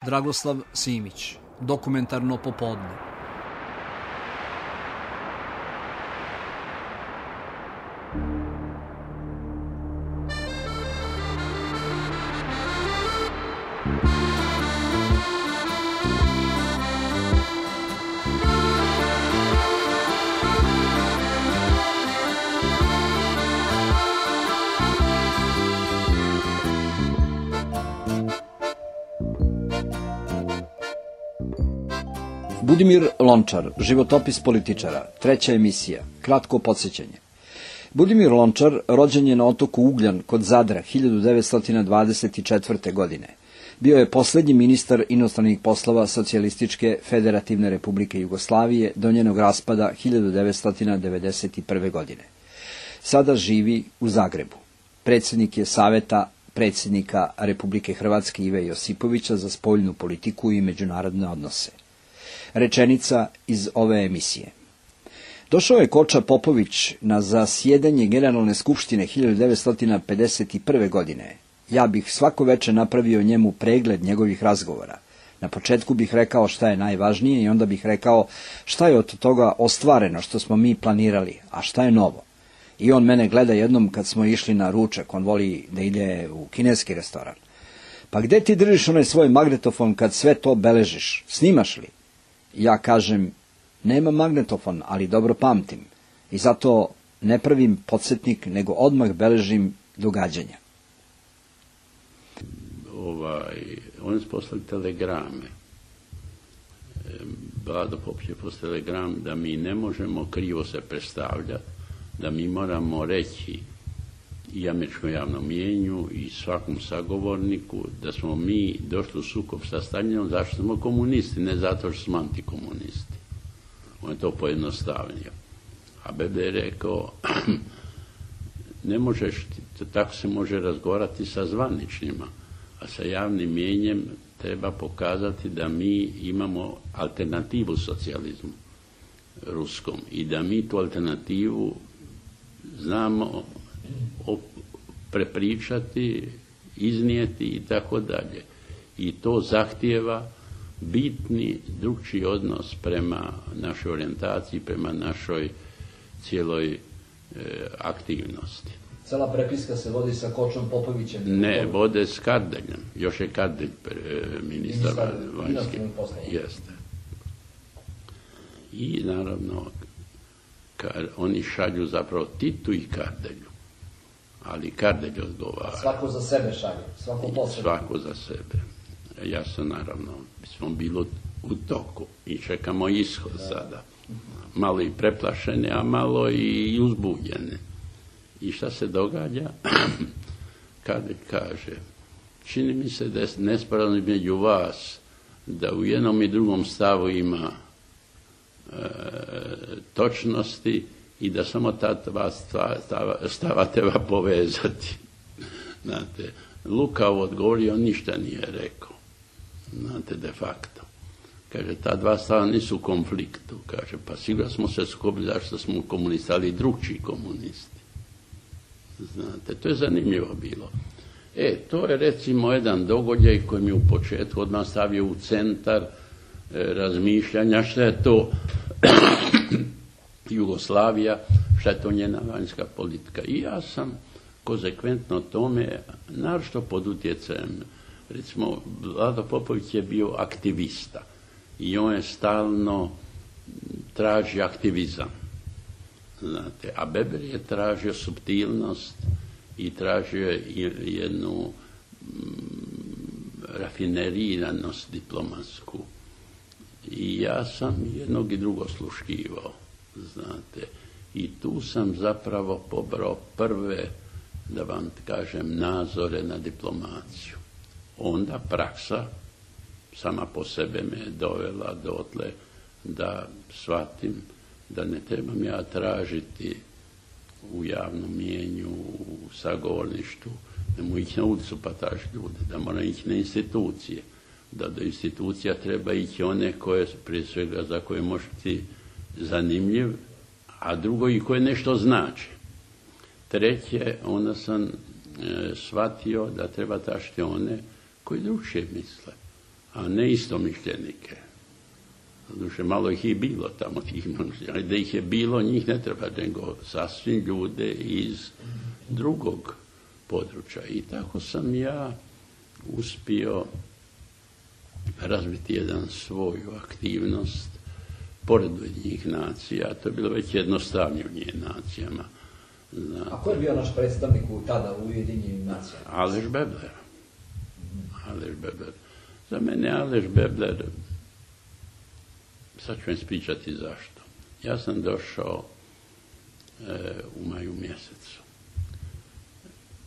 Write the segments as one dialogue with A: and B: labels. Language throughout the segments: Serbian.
A: Dragoslav Simić, Dokumentarno popodne.
B: Budimir Lončar, životopis političara, 3. emisija, kratko podsjećanje. Budimir Lončar rođen je na otoku Ugljan kod Zadra 1924. godine. Bio je poslednji ministar inostranih poslova Socijalističke federativne republike Jugoslavije do njenog raspada 1991. godine. Sada živi u Zagrebu. Predsjednik je Saveta predsjednika Republike Hrvatske Ive Josipovića za spoljnu politiku i međunarodne odnose. Rečenica iz ove emisije. Došao je Koča Popović na zasjedanje Generalne skupštine 1951. godine. Ja bih svako veče napravio njemu pregled njegovih razgovora. Na početku bih rekao šta je najvažnije i onda bih rekao šta je od toga ostvareno što smo mi planirali, a šta je novo. I on mene gleda jednom kad smo išli na ručak, on voli da ide u kineski restoran. Pa gde ti držiš onaj svoj magnetofon kad sve to beležiš, snimaš li? Ja kažem, nema magnetofon, ali dobro pamtim i zato ne pravim podsjetnik, nego odmah beležim događanja.
C: Oni su poslali telegrame. Vlado Popović je poslali telegram da mi ne možemo krivo se predstavljati, da mi moramo reći i američkom javnom mnijenju i svakom sagovorniku da smo mi došli u sukob sa Staljinom zašto smo komunisti, ne zato što smo antikomunisti. On je to pojednostavnio. A Bebe je rekao, ne možeš, tako se može razgovarati sa zvaničnjima, a sa javnim mnijenjem treba pokazati da mi imamo alternativu socijalizmu ruskom i da mi tu alternativu znamo prepričati, iznijeti i tako dalje. I to zahtijeva bitni drugčiji odnos prema našoj orijentaciji, prema našoj cijeloj aktivnosti.
B: Cela prepiska se vodi sa Kočom Popovićem?
C: Ne, vode s Kardeljem. Još je Kardelj ministar vanjskih. Jeste. I naravno oni šalju zapravo Titu i Kardelju. Ali Kardelj odgovara.
B: Svako za sebe šalje, svako posebno.
C: Svako za sebe. Ja sam naravno, smo bili u toku i čekamo ishod sada. Malo i preplašene, a malo i uzbuđene. I šta se događa? Kardelj kaže, čini mi se da je nesporazum između vas, da u jednom i drugom stavu ima točnosti i da samo ta dva stava treba povezati. Znate, lukavo odgovorio, ništa nije rekao. Znate, de facto. Kaže, ta dva stava nisu u konfliktu. Kaže, pa sigurno smo se sukobili zašto smo komunisti, ali i drugčiji komunisti. Znate, to je zanimljivo bilo. To je recimo jedan događaj koji mi u početku odmah stavio u centar razmišljanja šta je to Jugoslavija, šta je to njena vanjska politika. I ja sam konsekventno tome, naročito pod utjecajem, recimo, Vlado Popović je bio aktivista i on je stalno traži aktivizam. Znate, a Beber je tražio suptilnost i tražio jednu rafineriranost diplomatsku. I ja sam jednog i drugo sluškivao, znate. I tu sam zapravo pobrao prve, da vam kažem, nazore na diplomaciju. Onda praksa sama po sebe me je dovela dotle da shvatim da ne trebam ja tražiti u javnom mnijenju, u sagovorništvu, ne mogu ići na ulicu pa tražiti ljude, da moram ići na institucije, da do institucija treba ići one koje, prije svega, za koje može biti zanimljiv, a drugo i koje nešto znači. Treće, onda sam shvatio da treba tražiti one koji drugčije misle. a ne istomišljenike. Doduše, malo ih je bilo tamo, ali da ih je bilo, njih ne treba, nego sasvim ljude iz drugog područja. I tako sam ja uspio razviti jedan svoju aktivnost pored Ujedinjenih nacija. To je bilo već jednostavnije u Ujedinjenim nacijama.
B: A ko je bio naš predstavnik tada u Ujedinjenim nacijama?
C: Aleš Bebler. Aleš Bebler. Za mene Aleš Bebler, sad ću vam ispričati zašto. Ja sam došao u maju mjesecu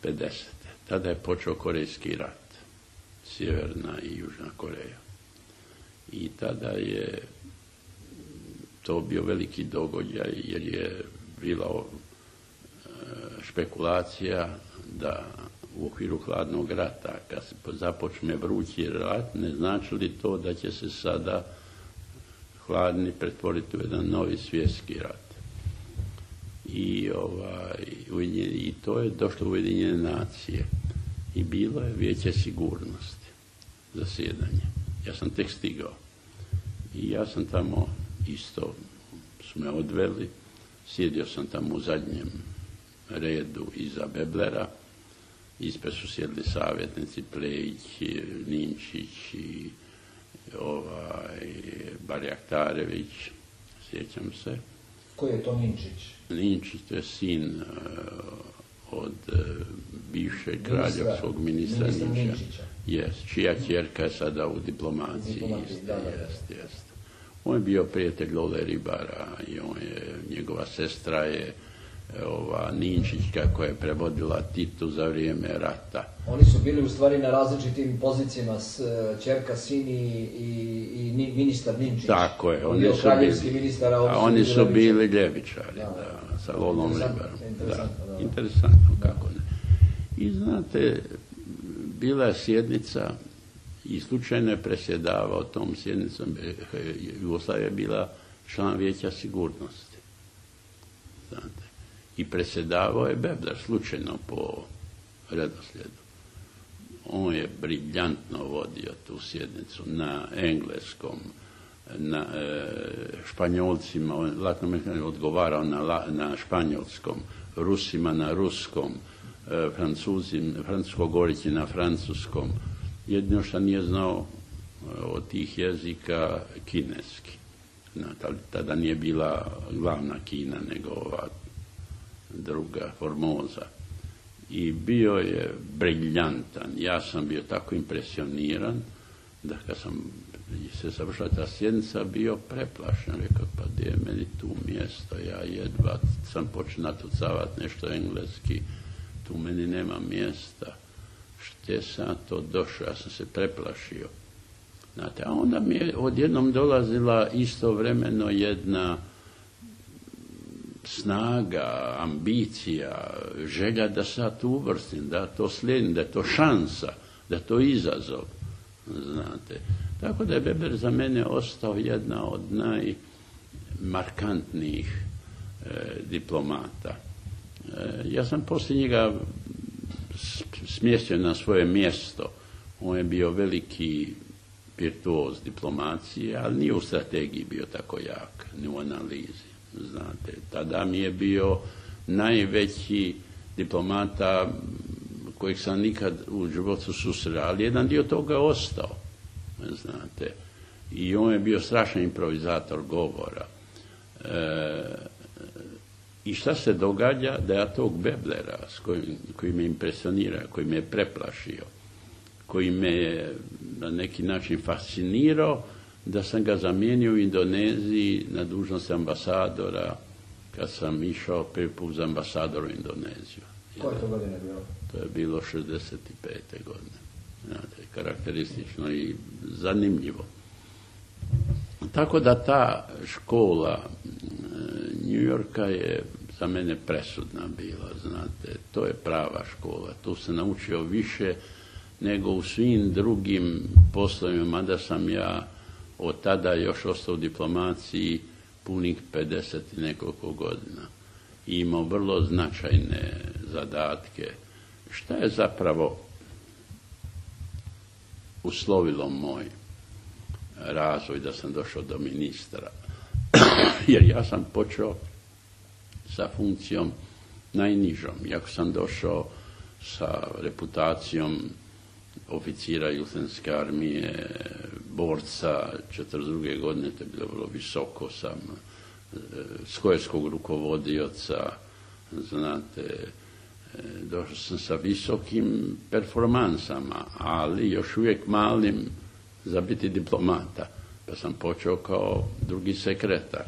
C: 50. Tada je počeo Korejski rat. Sjeverna i Južna Koreja. I tada je to bio veliki događaj jer je bila špekulacija da u okviru hladnog rata, kad se započne vrući rat, ne znači li to da će se sada hladni pretvoriti u jedan novi svjetski rat. I to je došlo u Ujedinjene nacije. I bilo je Vijeće sigurnosti zasjedanje. Ja sam tek stigao. I ja sam tamo isto, su me odveli, sjedio sam tamo u zadnjem redu iza Beblera, ispred su sjedili savjetnici Plejić, Ninčić i Barjaktarević, sjećam se.
B: Ko je to Ninčić?
C: Ninčić, to je sin od bivšeg kraljevskog ministra Ninčića. Čija ćerka je sada u diplomaciji. Jest. On je bio prijatelj Lole Ribara i njegova sestra je Ninčićka koja je prevodila Titu za vrijeme rata.
B: Oni su bili u stvari na različitim pozicijama, ćerka, sin i ministar Ninčić.
C: Tako je.
B: Oni
C: su bili ljevičari, sa Lolom Ribarom. Interesantno, kako ne. I znate, bila je sjednica i slučajno je presjedavao tom sjednicom. Jugoslavija je bila član Vijeća sigurnosti. Znate. I presjedavao je Bebler, slučajno po redoslijedu. On je briljantno vodio tu sjednicu na engleskom, na Španjolcima, Latinoamerikancima odgovarao na španjolskom, Rusima na ruskom, francusko govoreći na francuskom. Jedino što nije znao od tih jezika kineski. Tada nije bila glavna Kina, nego ova druga, Formoza. I bio je briljantan. Ja sam bio tako impresioniran da kad sam se završila ta sjednica bio preplašen. Rekao, pa gdje je meni tu mjesto? Ja jedva sam počeo natucavati nešto engleski. Tu meni nema mjesta. Šte sam to došao? Ja sam se preplašio. Znate, a onda mi je odjednom dolazila istovremeno jedna snaga, ambicija, želja da se tu uvrstim, da to slijedim, da je to šansa, da je to izazov. Znate. Tako da je Weber za mene ostao jedna od najmarkantnijih diplomata. Ja sam poslije njega smjestio na svoje mjesto. On je bio veliki virtuoz diplomacije, ali nije u strategiji bio tako jak, ni u analizi. Znate, tada mi je bio najveći diplomata kojeg sam nikad u životu susreo, ali jedan dio toga ostao. Znate, i on je bio strašan improvizator govora. I šta se događa? Da ja tog Beblera koji me impresionira, koji me je preplašio, koji me je na neki način fascinirao, da sam ga zamijenio u Indoneziji na dužnost ambasadora kad sam išao prvi put za ambasador u Indoneziju.
B: Koje to godine bilo?
C: To je bilo 65. godine. Znate, karakteristično i zanimljivo. Tako da ta škola New Yorka je za mene presudna bila, znate. To je prava škola. Tu se naučio više nego u svim drugim poslovima, mada sam ja od tada još ostao u diplomaciji punih 50 i nekoliko godina. I imao vrlo značajne zadatke. Šta je zapravo uslovilo moj razvoj, da sam došao do ministra. Jer ja sam počeo sa funkcijom najnižom. Iako sam došao sa reputacijom oficira Jugoslavenske armije, borca 42. godine, to je bilo vrlo visoko, sam skojevskog rukovodioca, znate, došao sam sa visokim performansama, ali još uvijek malim za biti diplomata. Pa sam počeo kao drugi sekretar.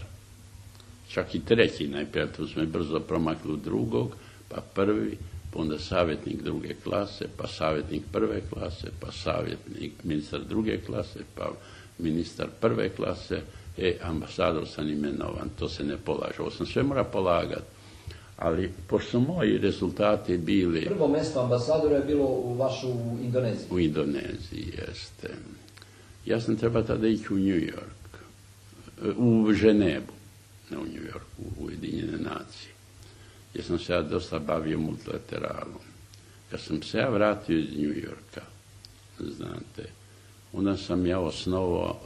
C: Čak i treći, najprije tu smo brzo promakli u drugog, pa prvi, pa onda savjetnik druge klase, pa savjetnik prve klase, pa savjetnik ministar druge klase, pa ministar prve klase, ambasador sam imenovan, to se ne polaže. Ovo sam sve mora polagati. Ali, pošto su moji rezultati bili...
B: Prvo mjesto ambasadora je bilo u Indoneziji.
C: U Indoneziji, jeste. Ja sam trebao tada ići u New York, u Ženevu, ne u New York, u Ujedinjene nacije. Jer sam se ja dosta bavio multilateralom. Kad sam se ja vratio iz New Yorka, znate, onda sam ja osnovao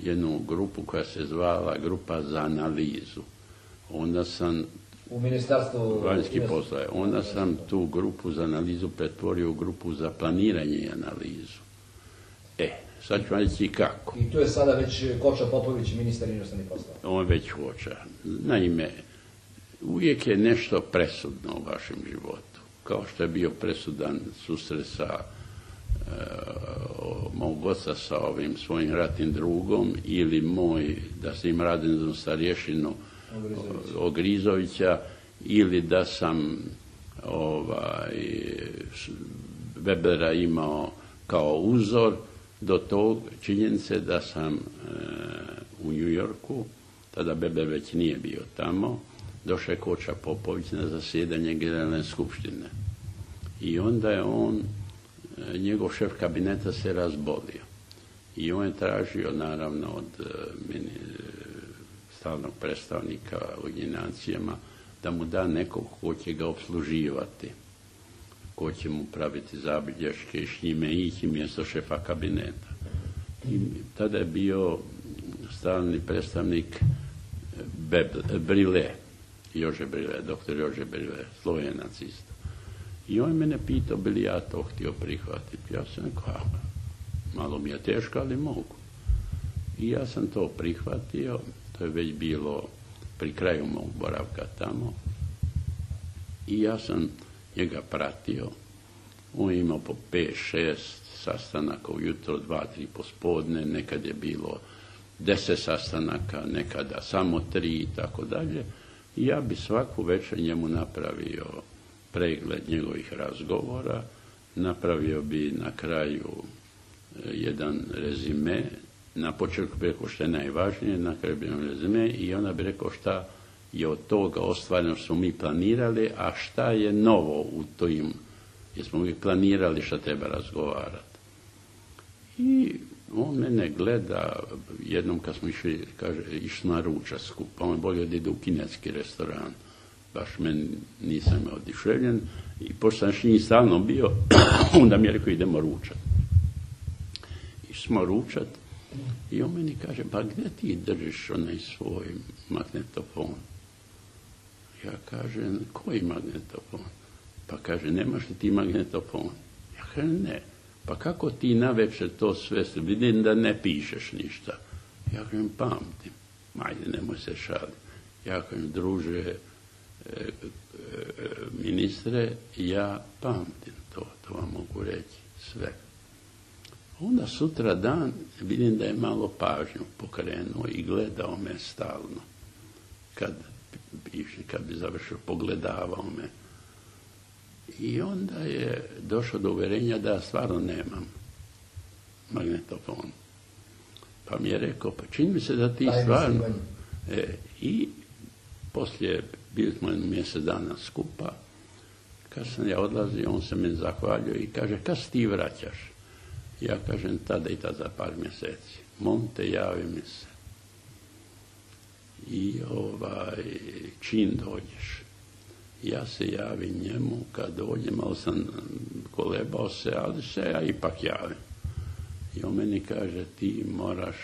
C: jednu grupu koja se zvala Grupa za analizu. Onda sam
B: u Ministarstvu
C: vanjskih poslova. Onda sam tu grupu za analizu pretvorio u grupu za planiranje i analizu. Sad ću vam reći kako.
B: I tu je sada već Koča Popović, ministar inostranih poslova.
C: On je već Koča. Naime, uvijek je nešto presudno u vašem životu. Kao što je bio presudan susret sa mog oca sa ovim svojim ratnim drugom ili moj, da sam im radim starješinu Ogrizovića, ili da sam Webera imao kao uzor, do tog činjenice da sam u New Yorku, tada Weber već nije bio tamo, došao je Koča Popović na zasjedanje Generalne skupštine. I onda je njegov šef kabineta se razbolio. I on je tražio, naravno, od stalnog predstavnika u Nacijama da mu da nekog ko će ga opsluživati, ko će mu praviti zabilješke i s njime ići mjesto šefa kabineta. I tada je bio stalni predstavnik Brile, doktor Jože Brile, Slovenac isto. I on mene pitao bi li ja to htio prihvatiti. Ja sam rekao, malo mi je teško, ali mogu. I ja sam to prihvatio, to je već bilo pri kraju mog boravka tamo. I ja sam njega pratio. On je imao po 5-6 sastanaka ujutro, 2-3 pospodne, nekad je bilo 10 sastanaka, nekada samo 3 i tako dalje. I ja bi svaku večer njemu napravio pregled njegovih razgovora, napravio bi na kraju jedan rezime, na početku bi rekao što je najvažnije, na kraju bi jedan rezime i onda bi rekao šta je od toga ostvareno što smo mi planirali, a šta je novo u tim, jer smo mi planirali šta treba razgovarati. I on mene gleda, jednom kad smo išli, kaže, išli na ručak skupa, on je bolje da ide u kineski restoran, baš meni nisam oduševljen, i pošto sam s njim stalno bio, onda mi je rekao idemo ručat. Išli smo ručat i on meni kaže, pa gdje ti držiš onaj svoj magnetofon? Ja kažem, koji magnetofon? Pa kaže, nemaš li ti magnetofon? Ja kažem, ne. Pa kako ti navečer to sve, vidim da ne pišeš ništa. Ja kažem, pamtim. Ajde, nemoj se šaliti. Ja kažem, druže, ministre, ja pamtim to vam mogu reći sve. Onda sutra dan vidim da je malo pažnju pokrenuo i gledao me stalno. Kad bi završio, pogledavao me. I onda je došao do uvjerenja da stvarno nemam magnetofon. Pa mi je rekao, pa čini mi se da ti stvarno... I poslije, bili smo mjesec dana skupa, kad sam ja odlazio, on se mi zahvalio i kaže, kad se ti vraćaš? Ja kažem, tada i tada za par mjeseci. Mom te javi mi se. I čim dođeš? Ja se javim njemu, kad dođem, malo sam kolebao se, ali se ja ipak javim. I on meni kaže, ti moraš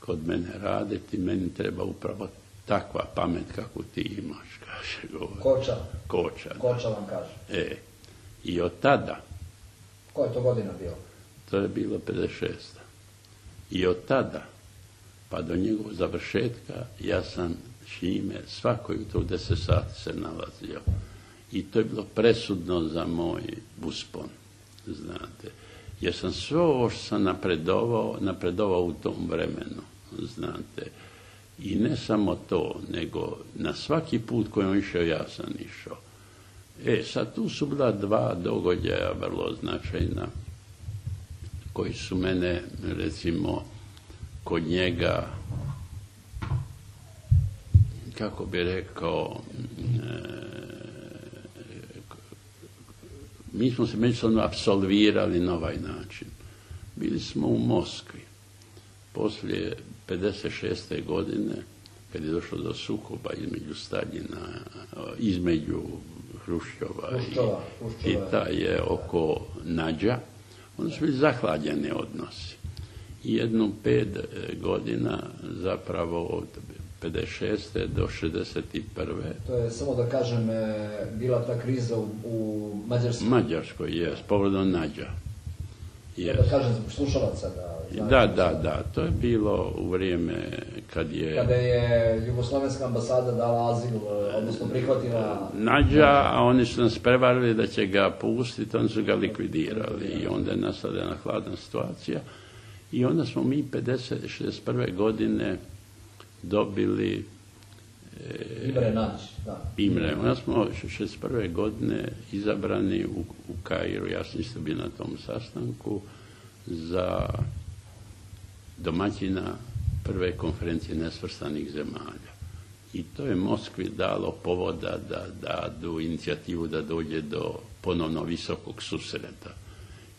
C: kod mene raditi, meni treba upravo takva pamet kako ti imaš, kaže govor. Koča
B: vam kaže.
C: I od tada...
B: Koja je to godina bilo?
C: To je bilo 56. I od tada, pa do njegovog završetka, ja sam s njime svako jutro u 10 sati se nalazio. I to je bilo presudno za moj uspon, znate. Jer sam sve ovo što sam napredovao u tom vremenu, znate. I ne samo to, nego na svaki put koji on išao, ja sam išao. Sad tu su bila dva događaja vrlo značajna, koji su mene, recimo, kod njega, kako bi rekao, mi smo se međusobno apsolvirali na ovaj način. Bili smo u Moskvi. Poslije 56. godine, kad je došlo do sukoba između Staljina, između Hruščova i je oko Nađa, onda su bili zahlađeni odnosi. I jedno 5 godina, zapravo od 56. do 61.
B: To je, samo da kažem, bila ta kriza u Mađarskoj.
C: Mađarskoj, povodom Nađa.
B: Da kažem, slušalaca.
C: Da, to je bilo u vrijeme kada
B: je Jugoslovenska ambasada dala azil, odnosno prihvatila
C: Nađa, a oni su nas prevarili da će ga pustiti, oni su ga likvidirali i onda je nastala jedna hladna situacija. I onda smo mi 61. godine dobili Imre. Onda smo 61. godine izabrani u Kairu, ja sam isto bio na tom sastanku, za domaćina prve konferencije nesvrstanih zemalja. I to je Moskvi dalo povoda da do inicijativu da dođe do ponovno visokog susreta.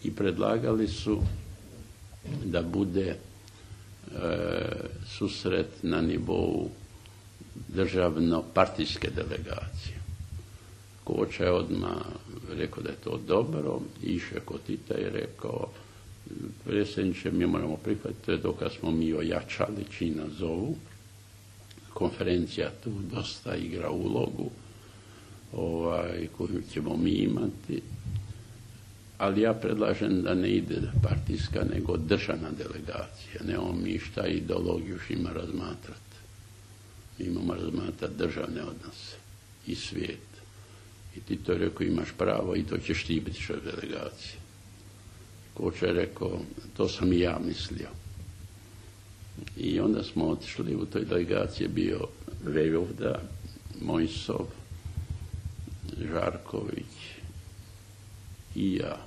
C: I predlagali su da bude susret na nivou državno-partijske delegacije. Koča je odmah rekao da je to dobro, išao kod Tita i rekao, predsjedniče, mi moramo prihvatiti, to je dokaz smo mi ojačali, čiji nas zovu. Konferencija tu dosta igra ulogu koju ćemo mi imati, ali ja predlažem da ne ide partijska, nego državna delegacija. Nemamo mi šta ideologiju ima razmatrati. Mi imamo razmatrati državne odnose i svijet. I ti to je rekao, imaš pravo i to ćeš ti biti što delegacije. Koča je rekao, to sam i ja mislio. I onda smo otišli, u toj delegaciji bio Vejvoda, Mojsov, Žarković i ja.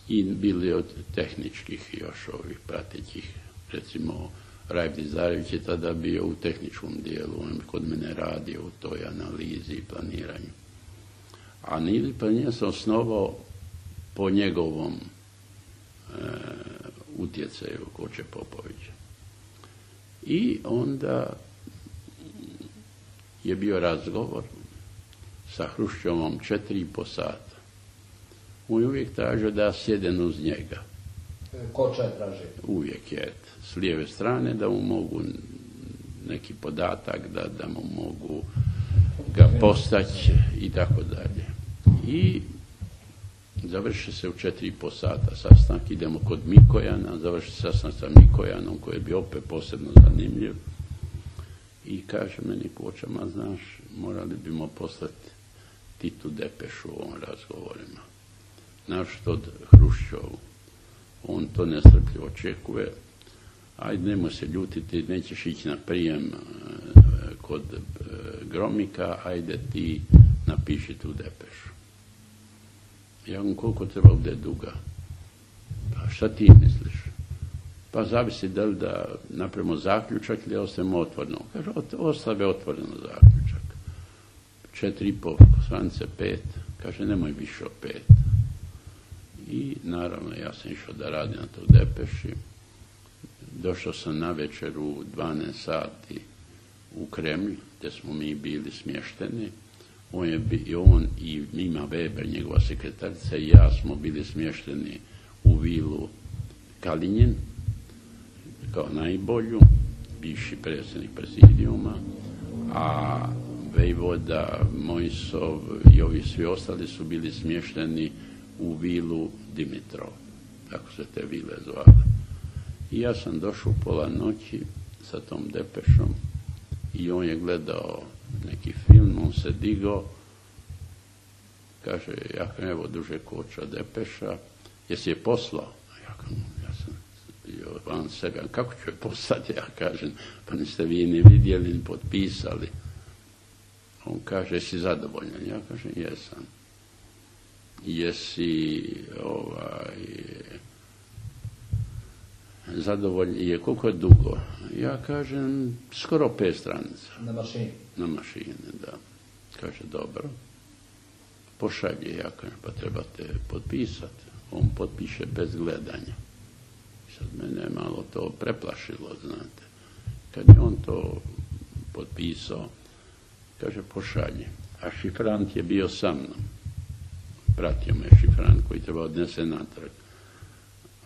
C: I bili od tehničkih još ovih pratećih, recimo Rajb Dizarević je tada bio u tehničkom dijelu, on kod mene radio u toj analizi i planiranju. A Nili Planija sam osnovao po njegovom utjecaju Koče Popovića. I onda je bio razgovor sa Hruščovom 4,5 sata. On je uvijek tražio da ja sjedem uz njega.
B: Koča je tražio? Uvijek
C: je. S lijeve strane da mu mogu neki podatak, da mu mogu ga postaći i tako dalje. I završi se u 4,5 sata sastanak, idemo kod Mikojana, završi sastanak sa Mikojanom koji je bio opet posebno zanimljiv i kaže meni Koča, znaš, morali bimo poslati Titu depešu u ovom razgovorima. Znaš što od Hruščovu, on to nestrpljivo očekuje, ajde nemoj se ljutiti, nećeš ići na prijem kod Gromika, ajde ti napiši tu depešu. Ja vam koliko treba bude duga? Pa šta ti misliš? Pa zavisi da li da napravimo zaključak ili ostavimo otvoreno. Kaže, ostave otvoreno zaključak. 4,5 stranice 5. Kaže, nemoj više od 5. I naravno ja sam išao da radim na toj depeši. Došao sam na večer u 12 sati u Kremlj, gdje smo mi bili smješteni. On i Mima Weber, njegova sekretarica, i ja smo bili smješteni u vilu Kalinjin kao najbolju, bivši predsjednik prezidijuma, a vojvoda Mojsov i ovi svi ostali su bili smješteni u vilu Dimitrov, tako se te vile zvale. I ja sam došao u pola noći sa tom depešom i on je gledao neki film, on se digao, kaže, ja kažem, evo Duže Koča depeša, jesi je poslao? Ja sam bio van sebe, kako ću je poslati? Ja kažem, pa niste vi ni vidjeli, ni potpisali. On kaže, jesi zadovoljan? Ja kažem, jesam. Jesi zadovoljan? Je koliko je dugo? Ja kažem, skoro 5 stranica.
B: Na mašini? Na
C: mašini, da. Kaže, dobro. Pošalje, ja kažem, pa trebate potpisati. On potpiše bez gledanja. Sad mene je malo to preplašilo, znate. Kad je on to potpisao, kaže, pošalje. A šifrant je bio sa mnom. Pratio me šifrant koji treba odnese natrag.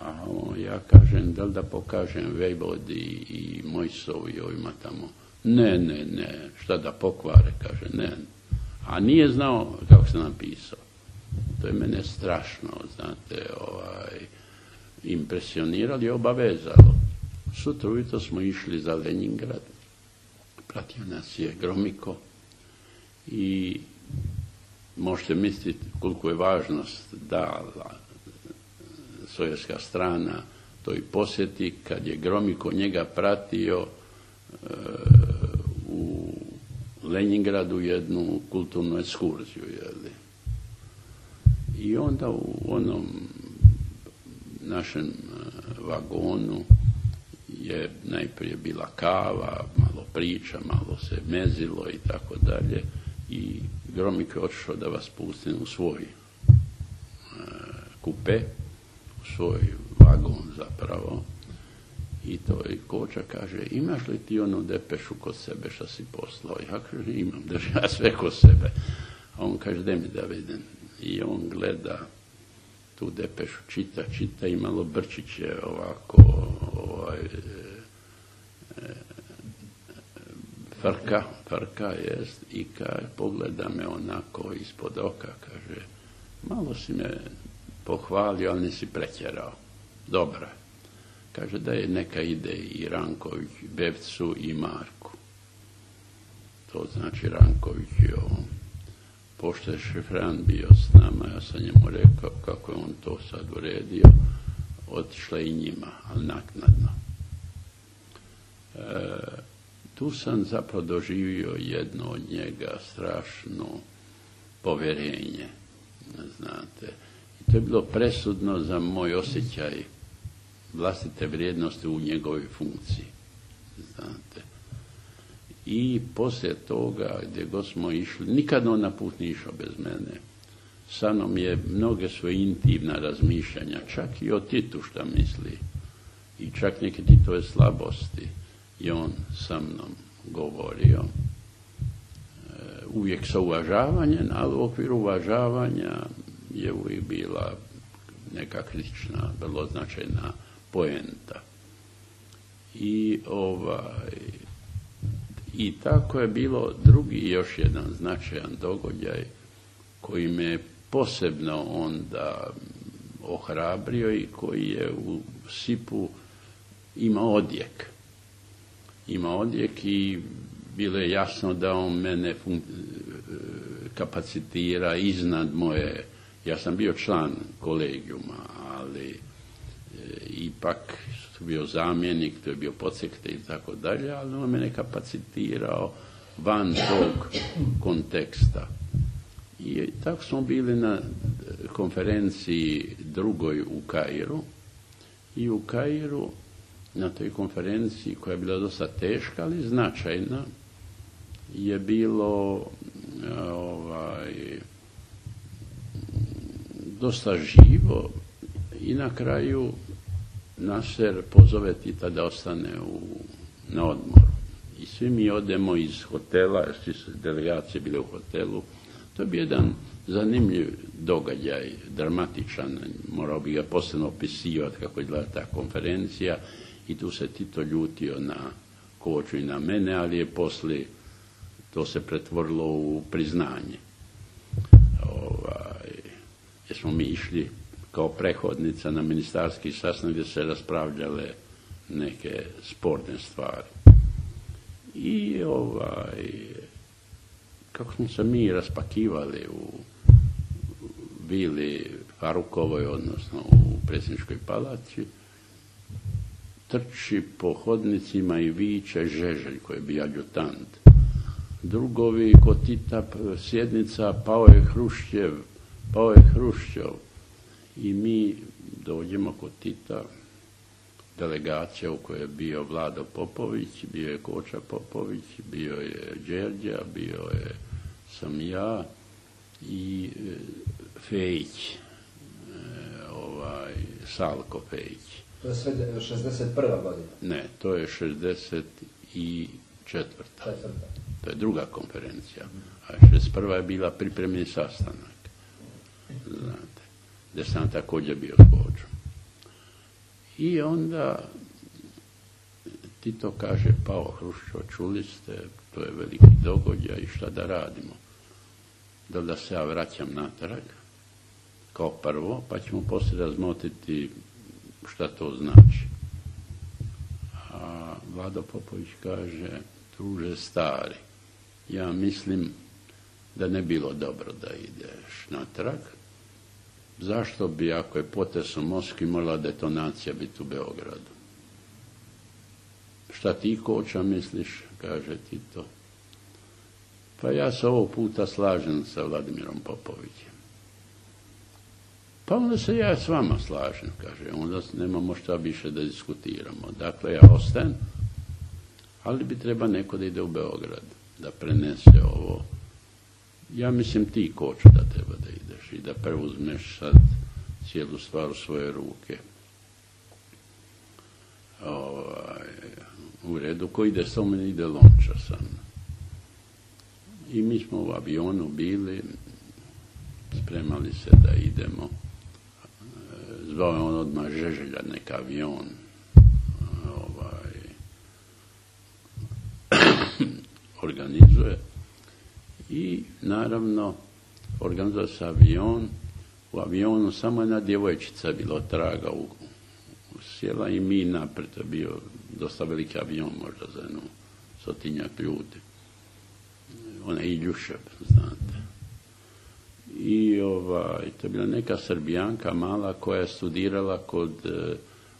C: A ja kažem, da li da pokažem vojvodi i Mojsovu i ovima tamo? Ne, šta da pokvare, kaže, ne. A nije znao kako se napisao. To je mene strašno, znate, impresionirali i obavezalo. Sutra ujutro smo išli za Leningrad, pratio nas je Gromiko i možete misliti koliko je važnost dala sovjetska strana toj posjeti kad je Gromiko njega pratio u Leningradu jednu kulturnu ekskurziju. I onda u onom našem vagonu je najprije bila kava, malo priča, malo se mezilo i tako dalje. I Gromiko je otišao da vas pustim u svoj kupe, u svoj vagon zapravo. I to je Koča kaže, imaš li ti onu depešu kod sebe što si poslao? Ja kažem, imam, držim ja sve kod sebe. A on kaže, daj mi da vidim. I on gleda tu depešu, čita i malo brčiće ovako, frka jest, i pogleda me onako ispod oka, kaže, malo si me pohvalio, ali nisi pretjerao. Dobro je. Kaže da je neka ide i Ranković, Bevcu i Marku. To znači Ranković je on. Pošto je šifrant bio s nama, ja sam njemu rekao kako je on to sad uredio, otišla i njima, ali naknadno. Tu sam zapravo doživio jedno od njega strašno povjerenje, znate. I to je bilo presudno za moj osjećaj vlastite vrijednosti u njegovoj funkciji, znate. I poslije toga, gdje god smo išli, nikad on na put nije išao bez mene. Sa mnom je mnoge svoje intimna razmišljanja, čak i o Titu šta misli, i čak neke Titove slabosti je on sa mnom govorio. Uvijek sa uvažavanjem, ali u okviru uvažavanja je uvijek bila neka kritična, vrlo značajna poenta. I tako je bilo drugi još jedan značajan događaj koji me posebno onda ohrabrio i koji je u SIP-u imao odjek. Ima odjek i bilo je jasno da on mene kapacitira iznad moje. Ja sam bio član kolegijuma, ali ipak bio zamjenik, to je bio podsekte i tako dalje, ali on mene kapacitirao van tog konteksta. I tako smo bili na konferenciji drugoj u Kairu i u Kairu na toj konferenciji koja je bila dosta teška, ali značajna, je bilo dosta živo i na kraju Nasser pozove Tita da ostane na odmor. I svi mi odemo iz hotela, svi su delegacije bile u hotelu. To je bio jedan zanimljiv događaj, dramatičan, morao bi ga posebno opisivati kako je izgledala ta konferencija i tu se Tito ljutio na Koču i na mene, ali je poslije to se pretvorilo u priznanje. Jer smo mi išli kao prehodnica na ministarski sastanak gdje se raspravljale neke sporne stvari. I kako smo se mi raspakivali u vili Farukovoj, odnosno u predsjedničkoj palači, trči po hodnicima i viče Žeželj koji je bio adjutant. Drugovi kod Tita sjednica, pao je Hruščov. I mi dođemo kod Tita, delegacija u kojoj je bio Vlado Popović, bio je Koča Popović, bio je Đerđa, sam ja i Fejić, Salko Fejić.
B: To je sve 61. godina?
C: Ne, to je 64. To je druga konferencija. A 61. je bila pripremni sastanak. Znate, gdje sam također bio s Kočom. I onda Tito kaže, pao Hruščov, čuli ste, to je veliki događaj i šta da radimo? Da se ja vraćam natrag, kao prvo, pa ćemo poslije razmotriti šta to znači. A Vlado Popović kaže, druže stari, ja mislim da ne bilo dobro da ideš natrag. Zašto bi, ako je potres u Moskvi, morala detonacija biti u Beogradu? Šta ti, Koča, misliš, kaže Tito. Pa ja se ovog puta slažem sa Vladimirom Popovićem. Pa onda se ja s vama slažem, kaže, onda nemamo šta više da diskutiramo. Dakle, ja ostajem, ali bi treba neko da ide u Beograd, da prenese ovo. Ja mislim ti, Kočo, da treba da ideš i da preuzmeš sad cijelu stvar u svoje ruke. U redu, ko ide sa mene, ide Lončar sa mnom. I mi smo u avionu bili, spremali se da idemo. Zvao je on odmah Žeželja, neka avion. Organizuje. I naravno organizuje se avion. U avionu samo jedna djevojčica bilo traga sjela i mi napred. To je bio dosta veliki avion, možda za jednu 100 ljudi. Ona je Iljušev, znate. I to je bila neka Srbijanka mala koja je studirala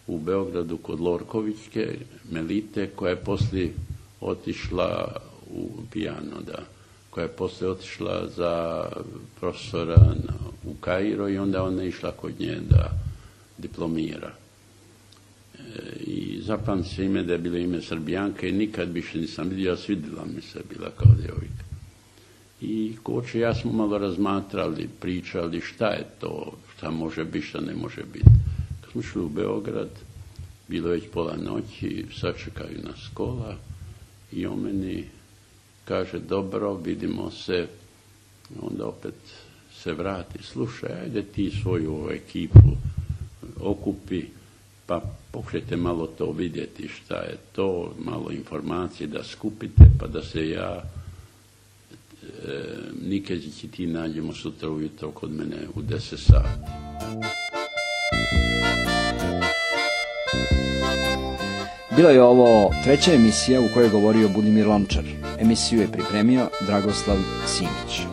C: u Beogradu kod Lorkovićke, Melite, koja je poslije otišla u Pijano, koja je poslije otišla za profesora u Kairo i onda ona je išla kod nje da diplomira. I zapamti se ime da je bilo ime Srbijanka i nikad više nisam vidio, svidjela mi se, bila kao djevojka. I Koče i ja smo malo razmatrali, pričali šta je to, šta može biti, šta ne može biti. Kad smo šli u Beograd, bilo je već pola noći, sačekaju nas kola i on meni kaže, dobro, vidimo se, onda opet se vrati, slušaj, ajde ti svoju ekipu okupi, pa pokušajte malo to vidjeti šta je to, malo informacije da skupite, pa da se ja, Nikezić i ti nađemo sutra ujutro kod mene u 10 sati.
B: Bila je ovo treća emisija u kojoj je govorio Budimir Lončar. Emisiju je pripremio Dragoslav Simić.